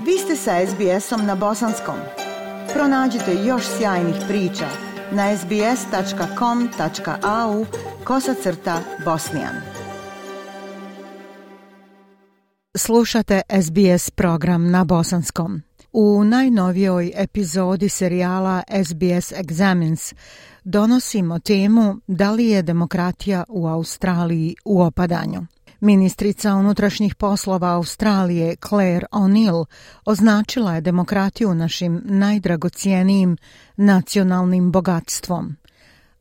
Vi ste sa SBS-om na bosanskom. Pronađite još sjajnih priča na sbs.com.au/bosnijan. Slušate SBS program na bosanskom. U najnovijoj epizodi serijala SBS Examines donosimo temu da li je demokratija u Australiji u opadanju. Ministrica unutrašnjih poslova Australije Claire O'Neill označila je demokratiju našim najdragocijenijim nacionalnim bogatstvom.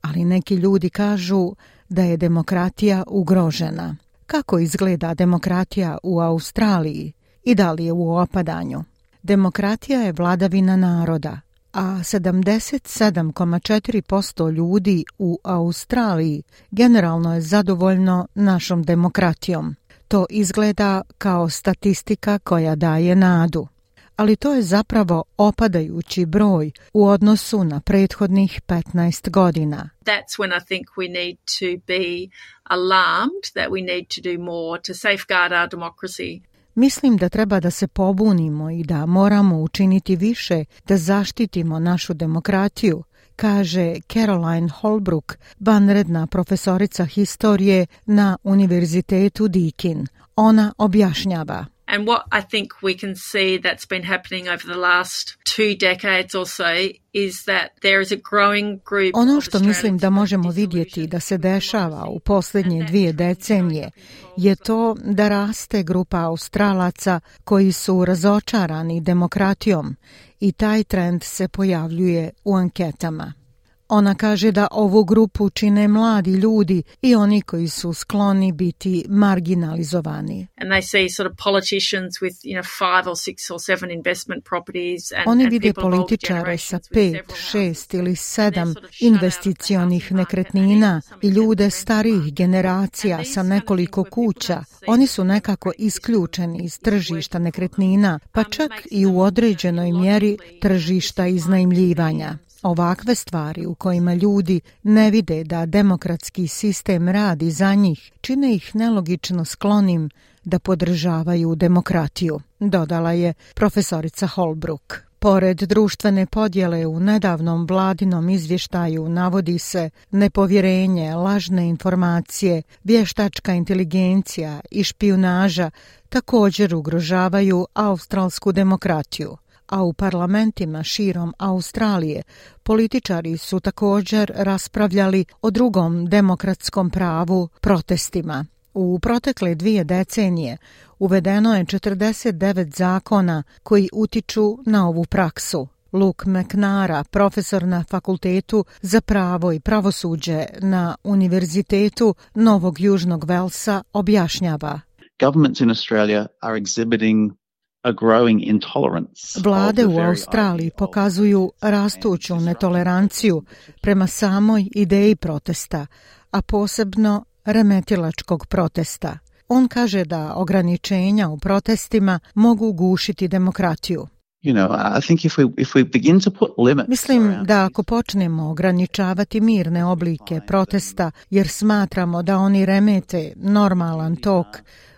Ali neki ljudi kažu da je demokratija ugrožena. Kako izgleda demokratija u Australiji i da li je u opadanju? Demokratija je vladavina naroda, a 77,4% ljudi u Australiji generalno je zadovoljno našom demokratijom. To izgleda kao statistika koja daje nadu. Ali to je zapravo opadajući broj u odnosu na prethodnih 15 godina. That's when I think we need to be alarmed that we need to do more to safeguard our democracy. Mislim da treba da se pobunimo i da moramo učiniti više da zaštitimo našu demokratiju, kaže Caroline Holbrook, vanredna profesorica historije na Univerzitetu Deakin. Ona objašnjava. And what I think we can see that's been happening over the last 2 decades or so is that there is a growing group. Ono što mislim da možemo vidjeti da se dešava u posljednje 2 decenije je to da raste grupa Australaca koji su razočarani demokratijom i taj trend se pojavljuje u anketama. Ona kaže da ovu grupu čine mladi ljudi i oni koji su skloni biti marginalizovani. And they see sort of politicians with, 5 or 6 or 7 investment properties and oni vide političare sa 5, 6 ili 7 investicionih nekretnina i ljude starijih generacija sa nekoliko kuća. Oni su nekako isključeni iz tržišta nekretnina, pa čak i u određenoj mjeri tržišta iznajmljivanja. Ovakve stvari u kojima ljudi ne vide da demokratski sistem radi za njih, čine ih nelogično sklonim da podržavaju demokratiju, dodala je profesorica Holbrook. Pored društvene podjele u nedavnom vladinom izvještaju navodi se nepovjerenje, lažne informacije, vještačka inteligencija i špijunaža također ugrožavaju australsku demokratiju. A u parlamentima širom Australije političari su također raspravljali o drugom demokratskom pravu, protestima. U protekle 2 decenije uvedeno je 49 zakona koji utiču na ovu praksu. Luke McNara, profesor na Fakultetu za pravo i pravosuđe na Univerzitetu Novog Južnog Velsa, objašnjava. Governments in Australia are exhibiting a growing intolerance. Vlade u Australiji pokazuju rastuću netoleranciju prema samoj ideji protesta, a posebno remetilačkog protesta. On kaže da ograničenja u protestima mogu gušiti demokratiju. Mislim da ako počnemo ograničavati mirne oblike protesta jer smatramo da oni remete normalan tok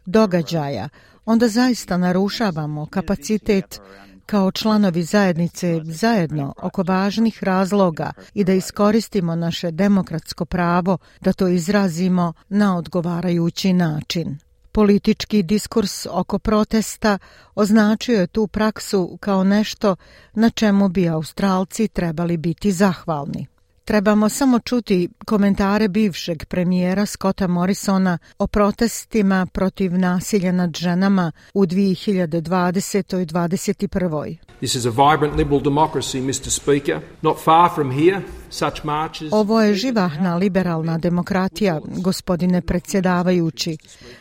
događaja, onda zaista narušavamo kapacitet kao članovi zajednice zajedno oko važnih razloga i da iskoristimo naše demokratsko pravo da to izrazimo na odgovarajući način. Politički diskurs oko protesta označio je tu praksu kao nešto na čemu bi Australci trebali biti zahvalni. Trebamo samo čuti komentare bivšeg premijera Scotta Morrisona o protestima protiv nasilja nad ženama u 2020. i 2021. This is a vibrant liberal democracy, Mr. Speaker. Not far from here, such marches. Ovo je živahna liberalna demokratija, gospodine predsjedavajući.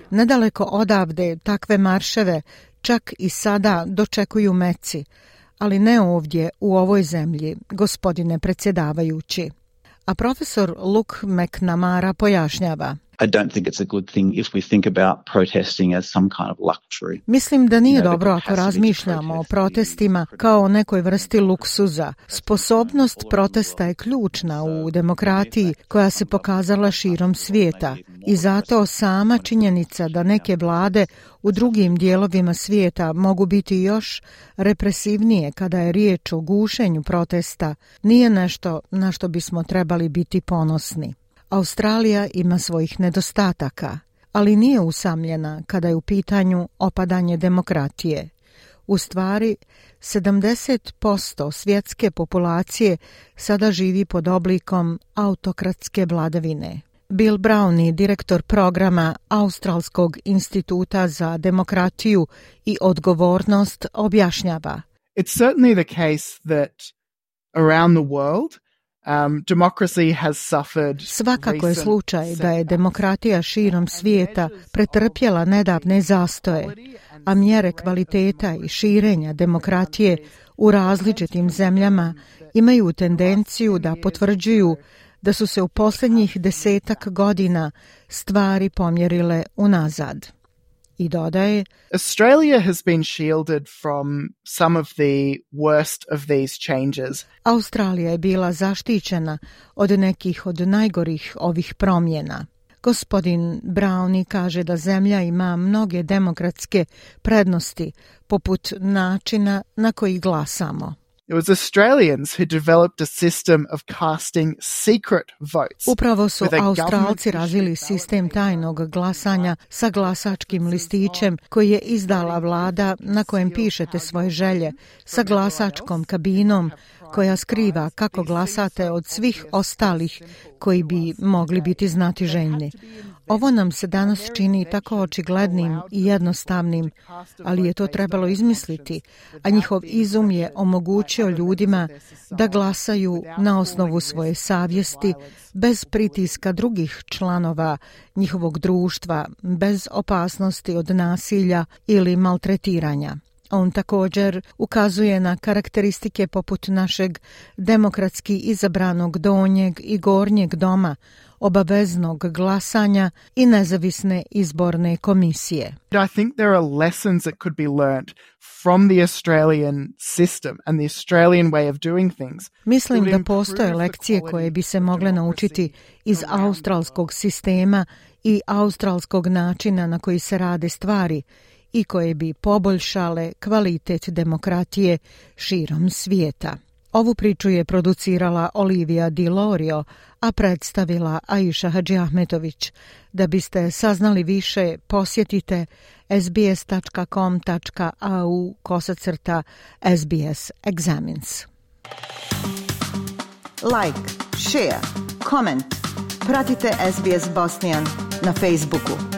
Nedaleko odavde takve marševe čak i sada dočekuju meci, ali ne ovdje u ovoj zemlji, gospodine predsjedavajući. A profesor Luke McNamara pojašnjava. I don't think it's a good thing if we think about protesting as some kind of luxury. Mislim da nije dobro ako razmišljamo o protestima kao o nekoj vrsti luksuza. Sposobnost protesta je ključna u demokratiji koja se pokazala širom svijeta i zato sama činjenica da neke vlade u drugim dijelovima svijeta mogu biti još represivnije kada je riječ o gušenju protesta nije nešto na što bismo trebali biti ponosni. Australija ima svojih nedostataka, ali nije usamljena kada je u pitanju opadanje demokratije. U stvari, 70% svjetske populacije sada živi pod oblikom autokratske vladavine. Bill Brownie, direktor programa Australskog instituta za demokratiju i odgovornost, objašnjava. It's certainly the case that around the world democracy has suffered. Svakako je slučaj da je demokratija širom svijeta pretrpjela nedavne zastoje, a mjere kvaliteta i širenja demokratije u različitim zemljama imaju tendenciju da potvrđuju da su se u posljednjih 10 godina stvari pomjerile unazad. I dodaje, Australia has been shielded from some of the worst of these changes. Australija je bila zaštićena od nekih od najgorih ovih promjena. Gospodin Brownie kaže da zemlja ima mnoge demokratske prednosti, poput načina na koji glasamo. It was Australians who developed a system of casting secret votes. Upravo su Australci razvili sistem tajnog glasanja sa glasačkim listićem koji je izdala vlada na kojem pišete svoje želje, sa glasačkom kabinom koja skriva kako glasate od svih ostalih koji bi mogli biti znatiželjni. Ovo nam se danas čini tako očiglednim i jednostavnim, ali je to trebalo izmisliti, a njihov izum je omogućio ljudima da glasaju na osnovu svoje savjesti, bez pritiska drugih članova njihovog društva, bez opasnosti od nasilja ili maltretiranja. On također ukazuje na karakteristike poput našeg demokratski izabranog donjeg i gornjeg doma, obaveznog glasanja i nezavisne izborne komisije. I think there are lessons that could be learned from the Australian system and the Australian way of doing things. Mislim da postoje lekcije koje bi se mogle naučiti iz australskog sistema i australskog načina na koji se rade stvari i koje bi poboljšale kvalitet demokratije širom svijeta. Ovu priču je producirala Olivia Di Lorio, a predstavila Aisha Hadžiahmetović. Da biste saznali više, posjetite sbs.com.au/SBS Examines. Like, share, comment. Pratite SBS Bosnian na Facebooku.